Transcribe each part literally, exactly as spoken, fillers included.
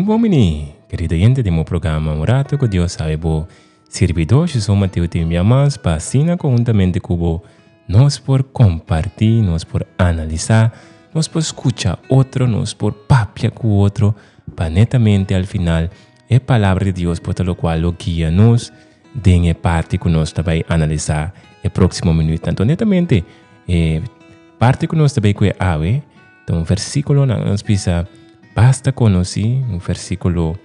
Un bon bini, kerido oyente di mi programa Un Rato ku Dios. Sabe bo sirbidó José Mateo tin bia mas pa asina konhuntamente ku bo nos por kompartí, nos por analisá, nos por skucha otro, nos por papia ku otro, pa netamente al final e palabra di Dios por ta lokual lo guia nos den e parti ku nos ta bai analisá e próksimo minüt. Anto netamente e parti ku nos ta bai ku e awe ta un versíkulonan nos bisa basta konosí, un versíkulo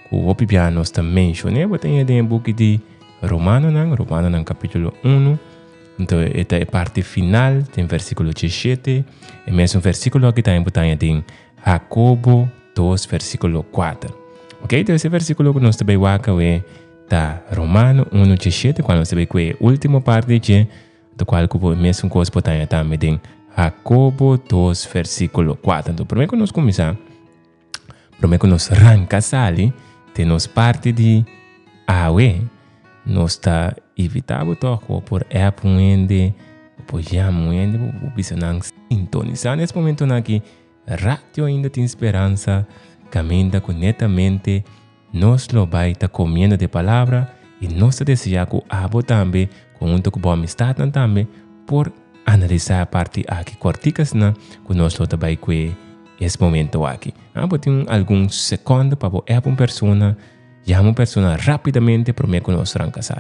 ku hopi bia nos ta menshon'é, bo ta haña den e buki di Romanonan, Romanonan kapítulo unu. Anto e ta e parti final den versíkulo diesshete. E mesun versíkulo aki tambe bo ta haña den Hakobo dos versíkulo kuater. Ok, entonces e versíkulo ku nos ta bai wak awe ta Romano unu diesshete, kual nos ta bai ku e último parti di dje, do kual ku bo e mesun kos bo ta haña tambe den Hakobo dos versíkulo kuater. Anto promé ku nos kuminsá, promé ku nos ranka sali den nos parti di awe, nos ta invitá bo tòg ku bo por app un hende, bo por yama un hende, bo por bisa nan sintonisá nes momentonan aki Radio Ainda Tin Speransa, kaminda ku netamente nos lo bai ta komiendo di e palabra i nos ta deseá ku abo tambe, konhunto ku bo amistatnan tambe, por analisá e parti aki kòrtikasnan ku nos lo ta bai kue es momento aki. Abo tin algun sekònde pa bo app un persona, yama un persona rápidamente promé ku nos ranka sa.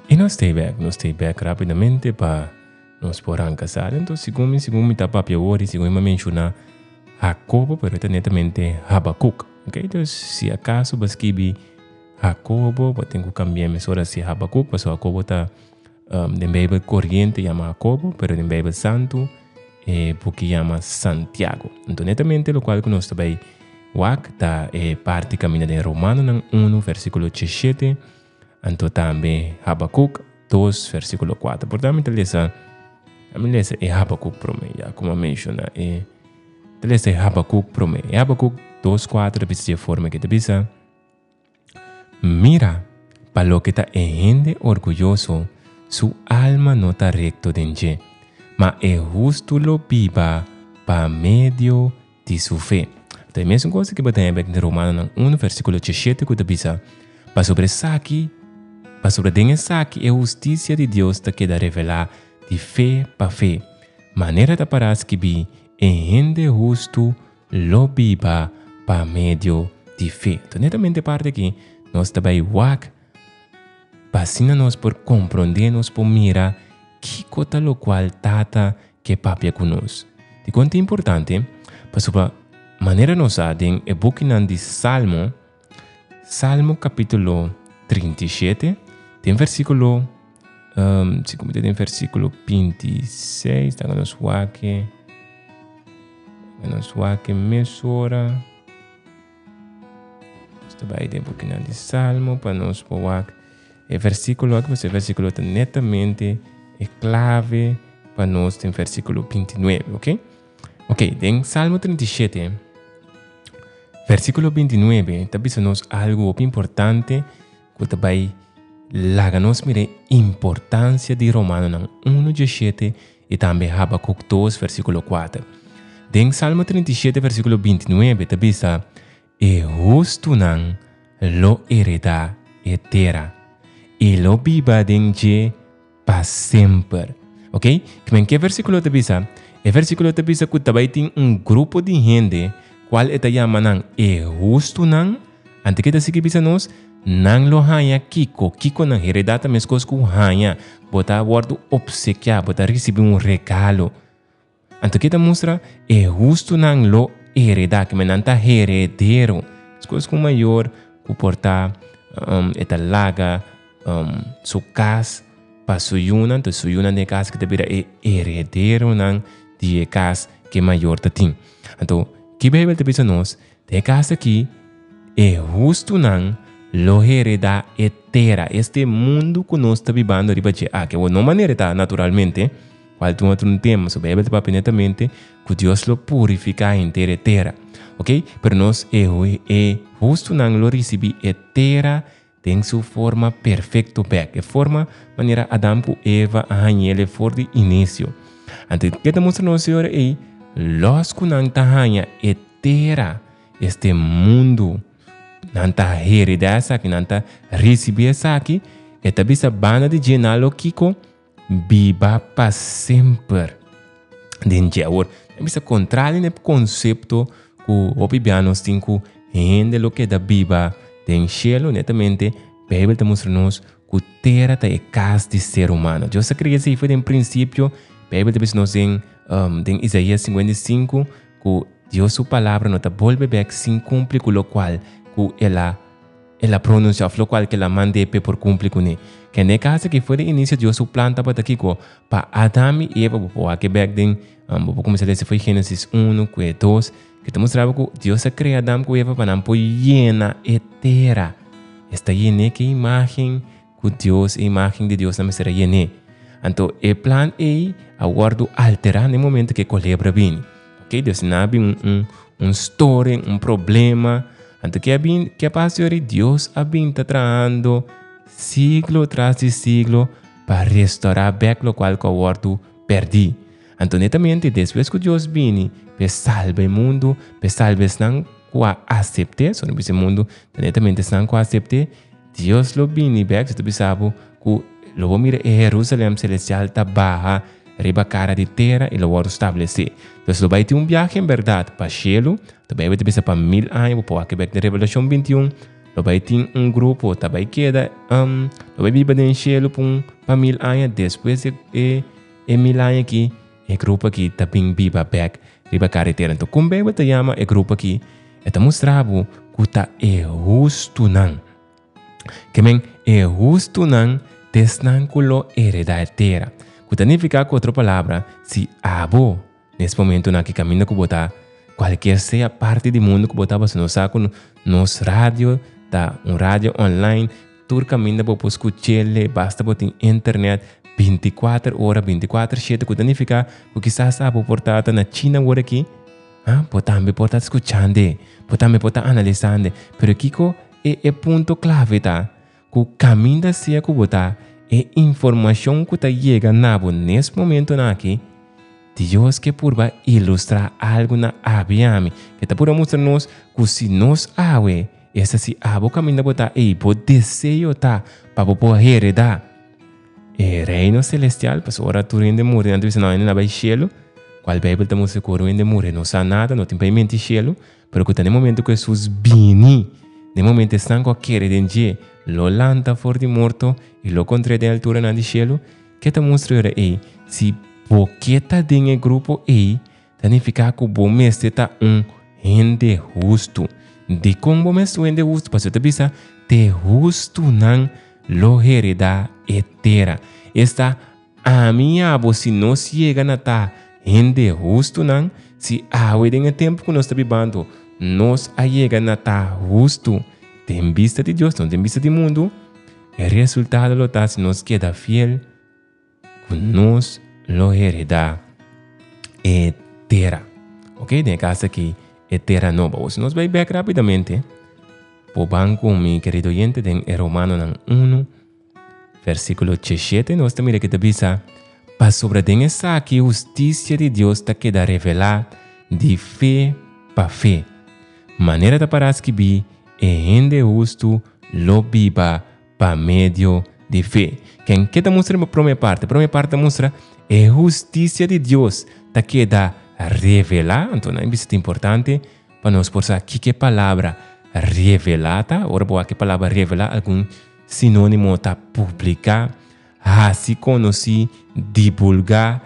I nos stay back, nos stay back rápidamente pa nos por ranka sa. Enton segun mi, segun mi ta papia awor i segun mi a menshoná Hakobo, pero e ta netamente Habakuk. Ok, dus si akaso bo a skibi Hakobo, bo tin ku kambia mesora si Habakuk, pasobra Hakobo ta den Beibel koriente yama Hakobo, pero den Beibel Santu e buki yama Santiago. Enton netamente lokual ku nos ta bai wak ta e parti kaminda den Romanonan unu versíkulo diesshete, Anto tambe Habakuk dos versíkulo kuater. Por tanto mi ta lesa, mi lesa e Habakuk promé, ya komo a menshoná e ta lesa e Habakuk promé. E Habakuk dos kuater ta bisa di e forma ke ta bisa, Mira, pa loke ta e hende orguyoso, su alma no ta rekto den dje, ma e hustu lo biba pa medio di su fe. Ta e mesun kos ku bo ta haña bek den Romanonan unu versíkulo diesshete ku ta bisa, Pasobra esaki, pasobra den esaki e hustisia di Dios ta keda revelá di fe pa fe, manera ta pará skibí, E hende hustu lo biba pa medio di fe. Enton netamente e parti aki nos ta bai wak pa asina nos por komprondé, nos por mira kiko ta lokual Tata ke papia ku nos. Dikon ta importante? Pasobra manera nos sa den e bukinan di Salmo, Salmo kapítulo trinta i shete, den versíkulo, um, si ku den versíkulo binti i seis, ta nos wak, nos wak mesora. Nos ta bai den bukinan di Salmo pa nos por wak e versíkulo aki, pasobra e versíkulo ta netamente e klave pa nos den versíkulo binti i nuebe, ok? Ok, den Salmo trinta i shete, versíkulo binti i nuebe ta bisa nos algu hopi importante ku ta bai laga nos mira e importansia di Romanonan unu diesshete i tambe Habakuk dos versíkulo kuater. Den Salmo trinta i shete versíkulo binti i nuebe ta bisa, E hustunan lo heredá e tera, i lo biba den dje pa semper. Ok, kimen ke versíkulo ta bisa? E versíkulo ta bisa ku ta bai tin un grupo di hende kual e ta yama nan e hustunan. Anto ke ta sigui bisa nos? Nan lo haña kiko? Kiko nan heredá ta meskos ku haña. Bo ta wòrdu opsekiá, bo ta risibí un regalo. Anto ke ta mustra? E hustunan lo heredá, kimen nan ta heredero. Meskos ku un mayor ku por ta um, e ta laga um, su kas pa su yunan, anto su yunan den e kas aki ta bira e herederonan di e kas ku e mayor tatin. Anto, ki Beibel ta bisa nos? Den e kas aki, e hustunan lo heredá e tera, este mundu ku nos ta bibando riba dje aki. Awor, no manera ta naturalmente, kual ta un otro tema, so Beibel ta papia netamente ku Dios lo purifiká henter e tera. Ok? Pero nos e, e hustunan lo risibí e tera den su forma perfekto bèk, e forma manera Adam ku Eva a hañ'el for di inisio. Anto, ke ta mustra nos ora ei? Los ku nan ta haña e tera, este mundu, nan ta heredá esaki, nan ta risibí esaki, e ta bisa banda di dje nan lo kiko? Biba pa semper den dje. Awor, ta bisa kontrali na e konsepto ku hopi bia nos tin ku hende lo keda biba den shelu, netamente Beibel ta mustra nos ku tera ta e kas di ser humano. Dios a krea esei for den prinsipio. Beibel ta bisa nos den um, den Isaías sinkuenta i sinku ku Dios su palabra no ta bolbe bèk sin kumpli ku lokual ku el a el a pronunsiá òf lokual ku el a mand'é p'e por kumpli kuné. Ke n'e kas aki for den inisio Dios su plan tabata kiko? Pa Adam i Eva, bo por wak e bèk den, bo por kuminsá lesa for Génesis unu ku e dos, ke ta mustra bo ku Dios a krea Adam ku Eva pa nan por yena e tera. Es ta yen'é ku e imágen ku Dios, e imágen di Dios nan mester a yen'é. Anto e plan ei a wòrdu alterá na e momento ku e kolebra bini. Ok, dus nan a bin un, un, un storing, un problema. Anto ke a bin, ke a pasa yori? Dios a bin ta trahando siglo tras di siglo pa restaurá bèk lokual ku a wòrdu pèrdí. Anto netamente despues ku Dios bini p'e salba e mundu, p'e salba esnan ku a asept'é, so no bisa e mundu, ta netamente esnan ku a asept'é, Dios lo bini bèk, si ta bisa bo ku lo bo mira e Herusalèm selestial ta baha riba kara di tera i lo wòrdu stablesé. Pues lo bai tin un biahe en bèrdat pa shelu, ta Beibel ta bisa pa mil aña, bo por wak bèk den Revelashon binti un, lo bai tin un grupo ta bai keda, lo bai biba den shelu pa un pa mil aña, despues di e e mil aña aki e grupo aki ta bin biba bèk riba kara di tera. Anto kon Beibel ta yama e grupo aki? E ta mustra bo ku ta e hustunan. Ke men e hustunan ta esnan ku lo heredá e tera. Ku ta nifiká ku otro palabra, si abo nes momentunan aki kaminda ku bo ta, kualkier sea parti di mundu ku bo ta, pasobra nos sa ku nos radio ta un radio online, tur kaminda bo por skuch'el, basta bo tin internet binti kuater ora, binti kuater shete, ku ta nifiká ku kisas abo por ta na China awor aki, ah, bo tambe por ta skuchando, bo tambe por ta analisando. Pero kiko e, e punto klave ta? Ku kaminda sea ku bo ta, e informashon ku ta yega na bo nes momentunan aki, Dios ke purba ilustrá algu na abo i ami, ke ta purba mustra nos ku si nos awe, esta si abo kaminda bo ta ei, bo deseo ta pa bo por heredá e reino selestial, pasobra ora tur hende muri, nan ta bisa, no, hende na bai shelu, kual Beibel ta mustra ku ora un hende muri no sa nada, no tin pa e menti shelu, pero ku ta na e momento ku Hesus bini, na e momento esnan ku a kere den dje lo lanta for di morto i lo kontr'é den alturanan di shelu. Ke ta mustra ora ei? Si bo ke ta den e grupo ei, ta nifiká ku bo mester ta un hende hustu. Dikon bo mester un hende hustu? Pasobra ta bisa, Te hustunan lo heredá e tera. Esta, ami i abo si nos yega na ta hende hustunan, si awe den e tempu ku nos ta bibando nos a yega na ta hustu den bista di Dios, no den bista di mundu, e resultado lo ta si nos keda fiel ku nos lo heredá e tera. Ok, den e kas aki e tera nobo. Awor si nos bai bek rápidamente, bo ban ku mi kerido oyente den e Romanonan unu, versíkulo diesshete, nos ta mira ke ta bisa, Pasobra den esaki hustisia di Dios ta keda revelá di fe pa fe. Manera ta pará skibí, E hende hustu lo biba pa medio di fe. Ken ke ta mustra e promé parti? E promé parti ta mustra e hustisia di Dios ta keda revelá. Anto nan bisa ta importante pa nos por sa kiko e palabra revelá ta. Ora bo wak e palabra revelá, algun sinónimo ta publiká, hasi konosí, divulgá,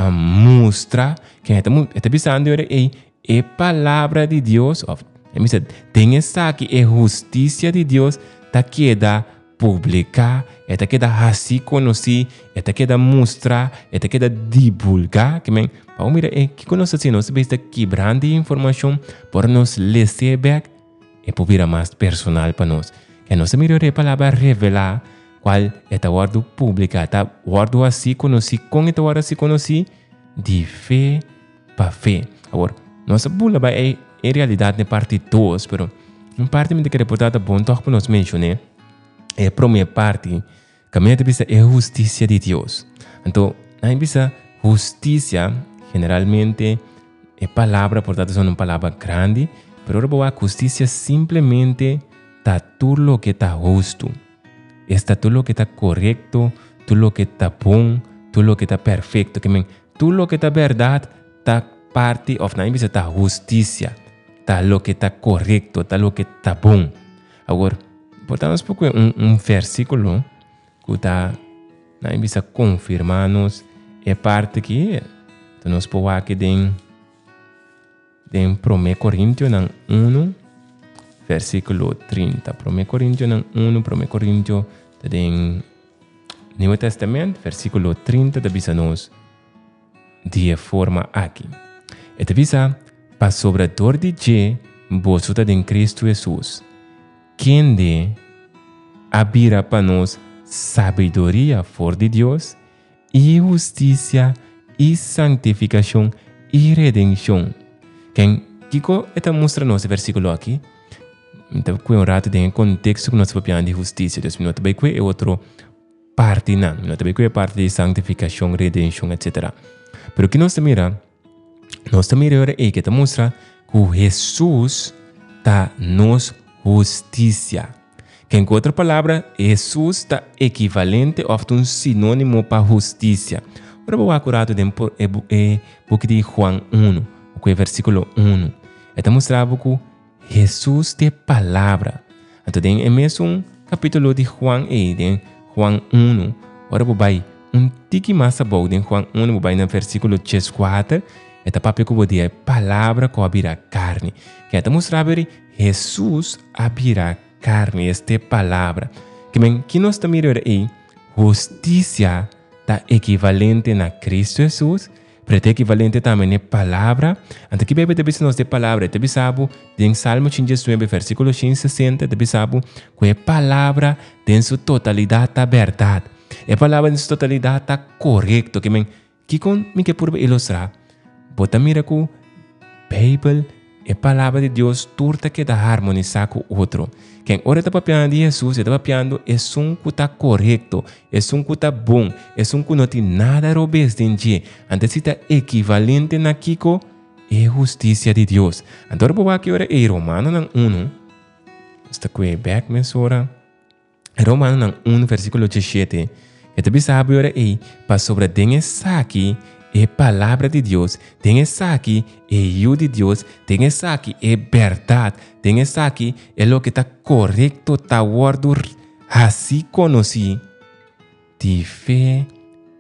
mustra. Ken e ta e ta bisando ora ei e palabra di Dios, òf e bisa den esaki e hustisia di Dios ta keda publiká, e ta keda hasí konosí, e ta keda mustra, e ta keda divulgá. Ke men, pa mira e kiko nos ta hasi, nos ta kibrando informashon pa nos lesa bèk e por bira mas personal pa nos. Ke nos mira e palabra revelá, kual e ta wòrdu publiká, ta wòrdu hasí konosí, kon e ta wòrdu hasí konosí? Di fe pa fe. Awor, nos a bula bai en realidat na parti dos, pero un parti mi ta kere por ta bon tòg pa nos menshoná. E promé parti, kaminda ta bisa e hustisia di Dios. Anto, nan bisa hustisia, generalmente e palabra, por tantu, un palabra grandi, pero ora hustisia simplemente ta tur loke ta hustu. Ta tur loke ta korekto, tur loke ta bon, tur loke ta perfekto. Ke men, tur loke ta bèrdat ta parti òf nan bisa ta hustisia. Ta loke ta korekto, ta loke ta bon. Awor, por tantu, poko un, un versíkulo ku ta nan bisa konfirmá nos e parti aki, nos por aki den den Promé Korintionan un, versíkulo trinta. Promé Korintionan un, Promé Korintio den Nieuwe Testament, versíkulo trinta ta bisa nos di e forma aki. E ta bisa, pasobra dor di dje boso ta den Kristu Hesus, kende a bira pa nos sabiduria for di Dios, i hustisia, i santifikashon, i redenshon. Ken kiko e ta mustra nos e versíkulo aki? Anto, ku un ratu den konteksto ku nos ta papiando di hustisia. Dus, no ta bai ku e otro partinan, no ta bai ku e parti di santifikashon, redenshon, et cetera. Pero ku nos mira, nos mira awor e ku ta mustra ku Hesus ta nos hustisia. Ku en otro palabra, Hesus ta ekivalente òf un sinónimo pa hustisia. Awor mi ta bai ratu den e, e buki di Juan un, ku versíkulo un. E ta mustra ku Hesus ta palabra. Anto, den mesun kapítulo di Juan, e den Juan un, awor mi ta bai un tiki mas abou den Juan un, mi ta bai na versíkulo kuater, e ta papia ku e palabra ku a bira karni. Ku ta mustra Hesus a bira karni, esta palabra. Ke men, ku nos ta mira ei, hustisia ta ekivalente na Kristu Hesus, pero ta ekivalente tambe na palabra. Anto, ku Beibel ta bisa nos di palabra? Ta bisa bo, den Salmo trinta i nuebe, versíkulo sesenta, ta bisa bo, ku e palabra den su totalidat ta bèrdat. E palabra den su totalidat ta korekto. Ke men, kiko mi ke purba ilustrá? Bo ta mira ku Beibel, e palabra di Dios, tur ta keda harmonisá ku otro. Ken ora ta papiando di Hesus, ta papiando esun ku ta korekto, esun ku ta bon, esun ku no tin nada robes den dje. Anto, ta ekivalente na kiko? E hustisia di Dios. Anto, ora aki ora e Romanonan un, ta ku bèk mesora. Romanonan un, versíkulo diesshete. E ta bisa ora ei, pasobra den esaki e palabra di Dios, den esaki e yu di Dios, den esaki e bèrdat, den esaki e loke ta korekto ta wòrdu hasí konosí di fe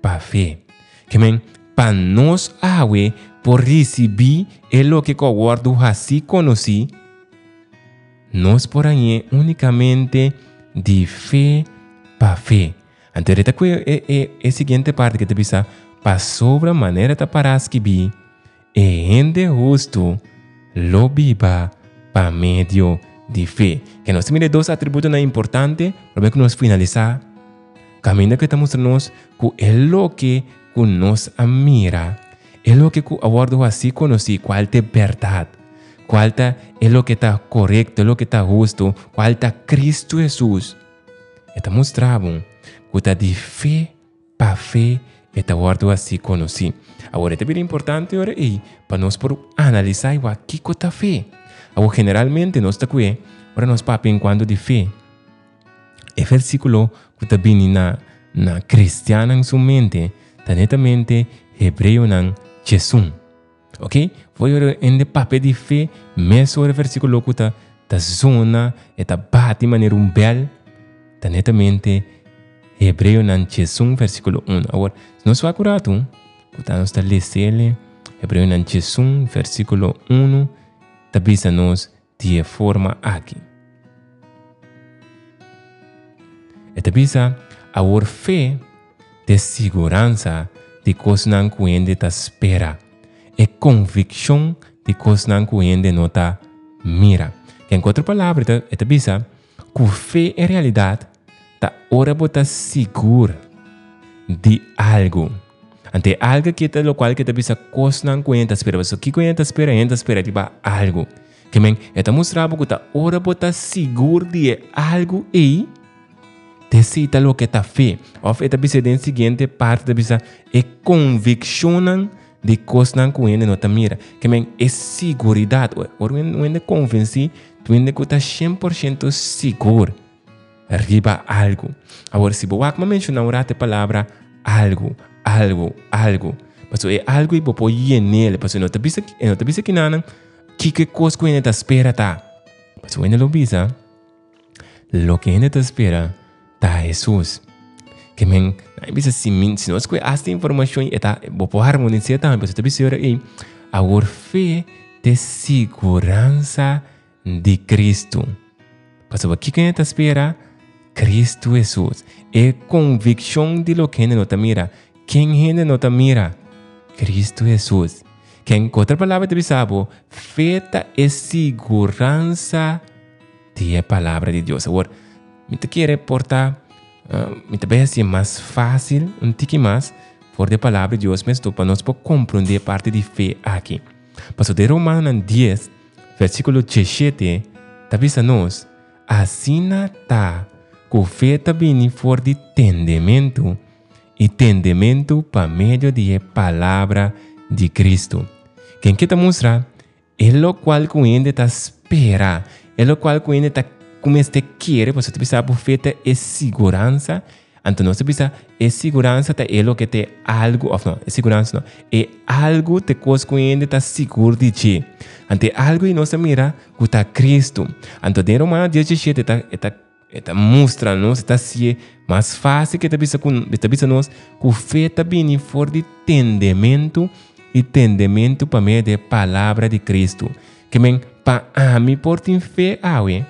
pa fe. Ke men, pa nos awe por risibí e loke ku a wòrdu hasí konosí, nos por hañ'é únikamente di fe pa fe. Anto, e, e, e siguiente parti ku ta bisa, pasobra manera ta pará skibí, e hende hustu lo biba pa medio di fe. Ku nos mira dos atributonan importante, pa ku nos finalisá. Kaminda ku ta mustra nos ku e loke ku nos a mira, e loke ku a wòrdu hasí konosí, kual ta bèrdat, kual ta e loke ta korekto, loke ta hustu, kual ta Kristu Hesus. E ta mustra ku ta di fe pa fe e ta wòrdu hasí konosí. Awor, ta bien importante awor ei pa nos por analisá igual kiko ta fe. Awor, generalmente nos ta kue, ora nos papia en kuanto di fe, e versíkulo ku ta bini na na kristiannan su mente, ta netamente Hebreonan diesun. Ok? Foi en de papia di fe, mesora e versíkulo ku ta ta zona, e ta bati manera un bèl, ta netamente Hebreonan diesun, versíkulo un. Awor, si nos wak ratu, ku nos ta lesa Hebreonan diesun, versíkulo un, ta bisa nos di e forma aki. E ta bisa, awor fe ta siguransa di kosnan ku hende ta spera. E konvikshon di kosnan ku hende no ta mira. Ku otro palabra, e ta bisa, ku fe en realidat ta ora bo ta sigur di algu. Anto algu ku ta lokual ku ta bisa kosnan ku hende ta spera. So kiko hende ta spera, hende ta spera riba algu. Ke men, e ta mustra ku ta ora bo ta sigur di algu ei esei ta loke ta fe. Òf e ta bisa den siguiente parti ta bisa e konvikshon di kosnan ku hende no ta mira. Ke men e seguridat. Ora hende konvensí, hende ku ta shen porshento sigur riba algu. Awor, si bo wak mi a menshoná un ratu e palabra algu, algu, algu. Paso e algu ei bo por yen'é, paso no ta bisa, no ta bisa ku nan kiko kos ku hende ta spera ta. Paso hende lo bisa, loke hende ta spera ta Hesus. Ke men, ai bisa si min, si nos ku esta informashon e ta bo por harmonisá tambe, paso ta bisa ei, awor fe ta siguransa di Kristu. Paso kiko hende ta spera? Kristu Hesus. E konvikshon di loke hende no ta mira. Ken hende no ta mira? Kristu Hesus. Ku otro palabra ta bisa bo, fe ta e siguransa di e palabra di Dios. Awor, mi ta kere por ta, uh, mi ta bai hasi mas fásil, un tiki mas, for di palabra di Dios, mes pa nos por komprondé parti di fe aki. Paso den Romanonan dies, versíkulo diesshete, ta bisa nos, asina ta, ku fe ta bini for di tendementu, i tendementu pa medio di palabra di Kristu. Ken ke ta mustra? E lokual ku hende ta spera, e lokual ku hende ta kuminsá kere, paso bisa fe ta e siguransa, anto nos bisa e siguransa ta e loke ta algu, òf no, e siguransa no, e algu ta kos ku hende ta sigur di dje. Anto algu ei nos mira ku ta Kristu. Anto den Romano diesshete ta ta ta mustra nos, ta hasi mas fásil ku ta bisa ku ta bisa nos ku fe ta bini for di tendementu i tendementu pa medio di palabra di Kristu. Ke men pa ami por tin fe awe,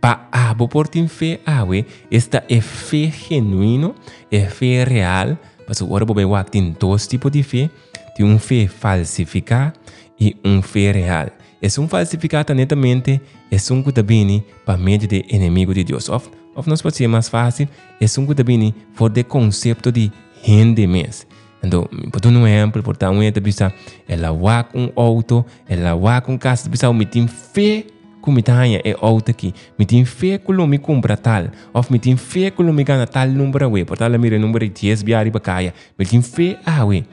pa abo por tin fe awe, esta e fe genuino, e fe real, paso ora bo bai wak tin dos tipo di fe, tin un fe falsifiká i un fe real. Esun falsifiká ta netamente esun ku ta bini pa medio di enemigu di Dios. Òf, òf nos por mas fásil, esun ku ta bini for di konsepto di hende mes. Anto, pa un ehèmpel, por ta un hende bisa, el a wak un outo, el a wak un kas, bisa mi tin fe ku mi ta haña e outo aki, mi tin fe ku lo mi kumpra tal, òf mi tin fe ku lo mi gana tal number awe, por tal mira number dies bia riba kaya, mi tin fe awe.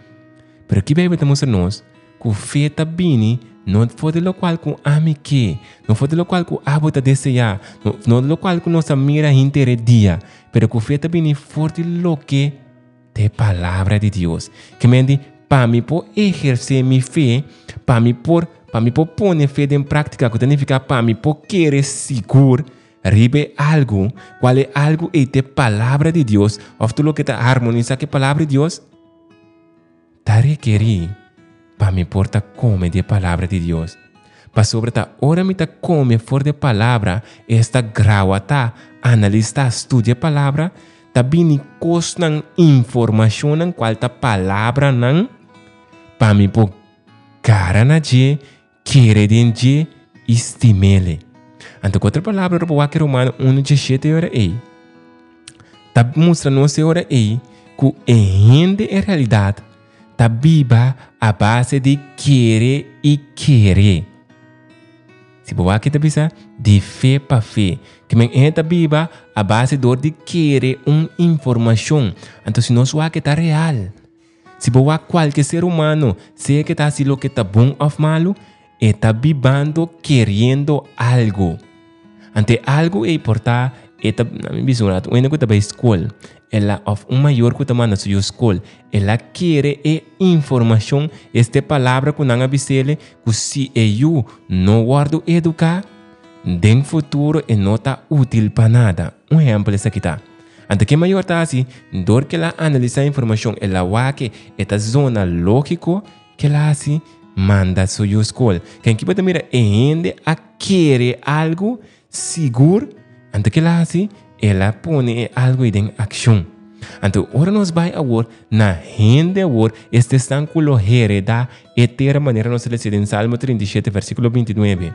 Pero aki Beibel ta mustra nos ku fe ta bini no for di lokual ku ami ke, no for di lokual ku abo ta deseá, no, no lokual ku nos mira henter dia, pero ku fe ta bini for di loke ta palabra di Dios. Ke men di, pa mi por ehersé mi fe, pa mi por, pa mi por pone fe den práktika, ku ta nifiká pa mi por kere sigur, riba algu, kual e algu ei ta palabra di Dios, òf tur loke ta harmonisá ku palabra di Dios, ta rekerí pa mi por ta kome di palabra di Dios. Pasobra ta ora mi ta kome for di palabra, esta grawata, analisá, studia palabra, ta bini kosnan informashonnan kual ta palabranan pa mi por gara na dje, kere den dje i stim'é. Anto, ku otro palabra, bo wak Romano un diesshete ora ei. Ta mustra nos ora ei ku e hende en realidat ta biba a base di kere i kere. Si bo wak ta bisa di fe pa fe. Ke men e ta biba a base dor di kere un informashon. Anto si nos wak ta real. Si bo wak kualke ser humano, sea ku ta hasi loke ta bon òf malu, e ta bibando keriendo algu. Anto algu ei por ta, e ta, mi bisa un ratu, un hende ku ta bai skol, el a òf un mayor ku ta manda su yu skol, el a kere e informashon, este palabra ku nan a bis'é, ku si e yu no wòrdu eduká, den futuro e no ta útil pa nada. Un ehèmpel esaki ta. Anto ku mayor ta asina, dor ku el a analisá informashon, el a wak e ta zona lógiko ku el a hasi manda su yu skol. Ken ki por mira e hende a kere algu sigur, anto ku el a hasi, El a pone e algu ei den akshon. Anto ora nos bai awor na hende awor, esta esnan ku lo heredá e tera manera nos a lesa den Salmo trinta i shete versíkulo binti nuebe,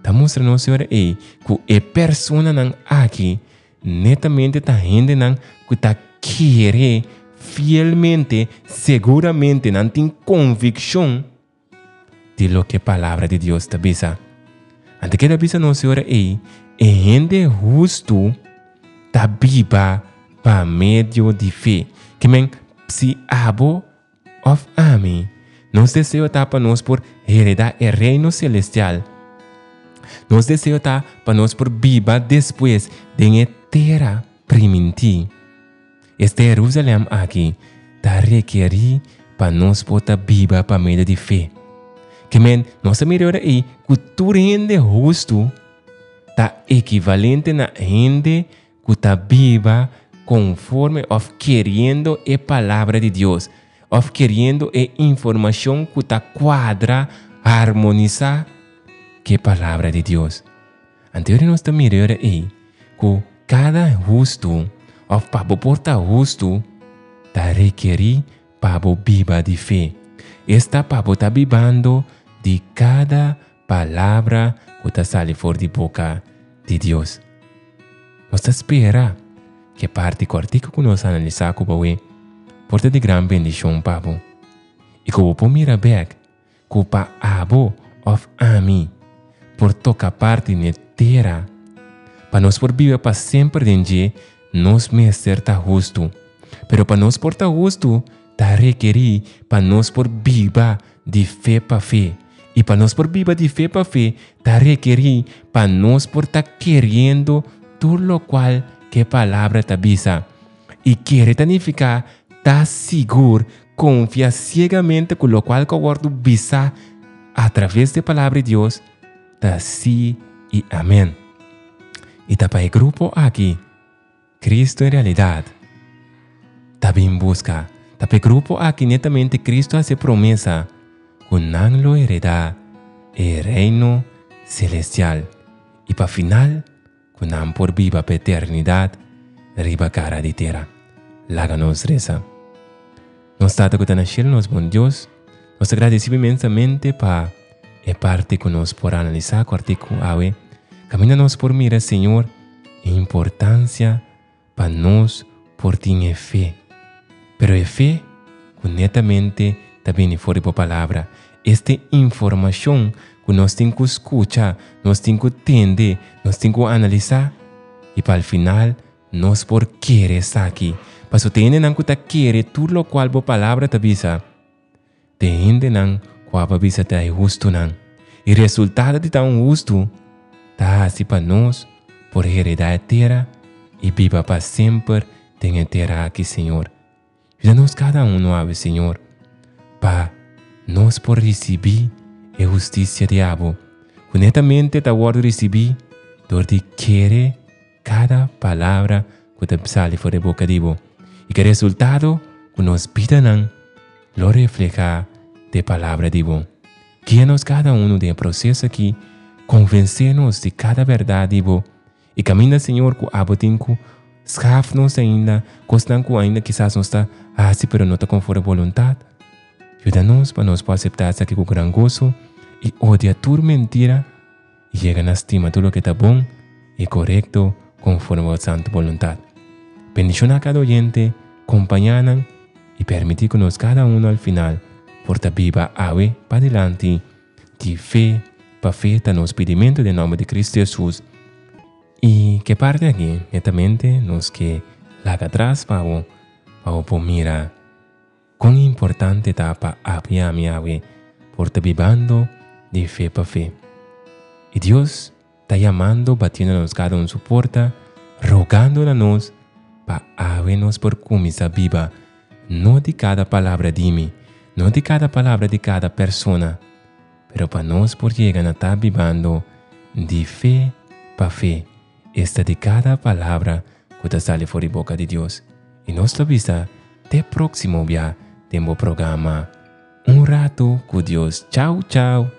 ta mustra nos e ora ei ku e personanan aki netamente ta hendenan ku ta kere fielmente, seguramente nan tin konvikshon di loke Palabra di Dios ta bisa. Anto keda bisa nos e ora ei, e hende hustu ta biba pa medio di fe. Ke men, si abo òf ami, nos deseo ta pa nos por heredá e Reino selestial, nos deseo ta pa nos por biba despues den e tera primintí. Este Jerusalèm aki ta rekerí pa nos por ta biba pa medio di fe. Ke men, nos a mira ora ei ku tur hende hustu ta ekivalente na hende ku ta biba konforme òf keriendo e Palabra di Dios, òf keriendo e informashon ku ta kuadra, harmonisá ku e Palabra di Dios. Anto ora nos ta mira ora ei ku kada hustu, òf pa bo por ta hustu, ta rekerí pa bo biba di fe. Esta pa bo ta bibando di kada palabra ku ta sali for di boka di Dios. Nos ta spera ku e parti kòrtiku ku nos a analisá ku bo awe por ta di gran bendishon pa bo i ku bo por mira bèk ku pa abo òf ami por toka parti n'e tera pa nos por biba pa semper den dje, nos mester ta hustu. Pero pa nos por ta hustu ta rekerí pa nos por biba di fe pa fe. I pa nos por biba di fe pa fe ta rekerí pa nos por ta keriendo tur lokual ku e Palabra ta bisa. I kere ta nifiká ta sigur, konfia siegamente ku lokual ku a wòrdu bisá atraves di e Palabra di Dios ta sí i amèn. I ta pa e grupo aki Cristo en realidat ta bin buska. Ta pa e grupo aki netamente Cristo a hasi e promesa ku nan lo heredá e Reino selestial i pa final ku nan por biba pa eternidat riba kara di tera. Laga nos resa. Nos Tata ku ta na shelu, nos bon Dios, nos ta gradisí bo inmensamente pa e parti ku nos por analisá ku artíkulo awe. Kaminda nos por mira, Señor, e importansia pa nos por tin e fe. Pero e fe ku netamente ta bini for di bo Palabra. Este informashon ku nos tin ku skucha, nos tin ku tende, nos tin ku analisá i pa al final nos por kere esaki. Pasobra te hendenan ku ta kere tur lokual bo Palabra ta bisa, te hendenan ku abo a bisa ta e hustunan. I resultado di ta un hustu ta hasi pa nos por heredá e tera i biba pa semper den e tera aki, Señor. Yuda nos kada uno awe, Señor, pa nos por risibí e hustisia di abo, ku netamente ta wòrdu risibí dor di kere kada palabra ku ta sali for di boka di bo, i ku e resultado ku nos bidanan lo reflehá de palabra di bo. Guia nos kada uno den e proseso aki, konvensé nos di kada bèrdat di bo, i kaminda, Señor, ku abo tin ku skaf nos ainda, kosnan ku ainda kisas nos ta hasi pero no ta konforme boluntat, yuda nos pa nos por aseptá esaki ku gran goso i odia tur mentira i yega na stima tur loke ta bon i korekto konforme bo santu boluntat. Bendishoná kada oyente, kompañá nan i permití ku nos kada uno al final por ta biba awe padilanti di fe pa fe ta nos pidimentu den nòmber di Kristu Hesus. I ke parti aki netamente nos ke laga atras pa bo, pa bo por mira kon importante ta pa abo i ami awe por ta bibando di fe pa fe. I Dios ta yamando, batiendo na nos kada un su porta, rogando na nos pa awe nos por kuminsá biba no di kada palabra di mi, no di kada palabra di kada persona, pero pa nos por yega na ta bibando di fe pa fe, esta di kada palabra ku ta sali for di boka di Dios. I nos ta bisa te próksimo bia den bo programa Un Ratu ku Dios. Chau chau!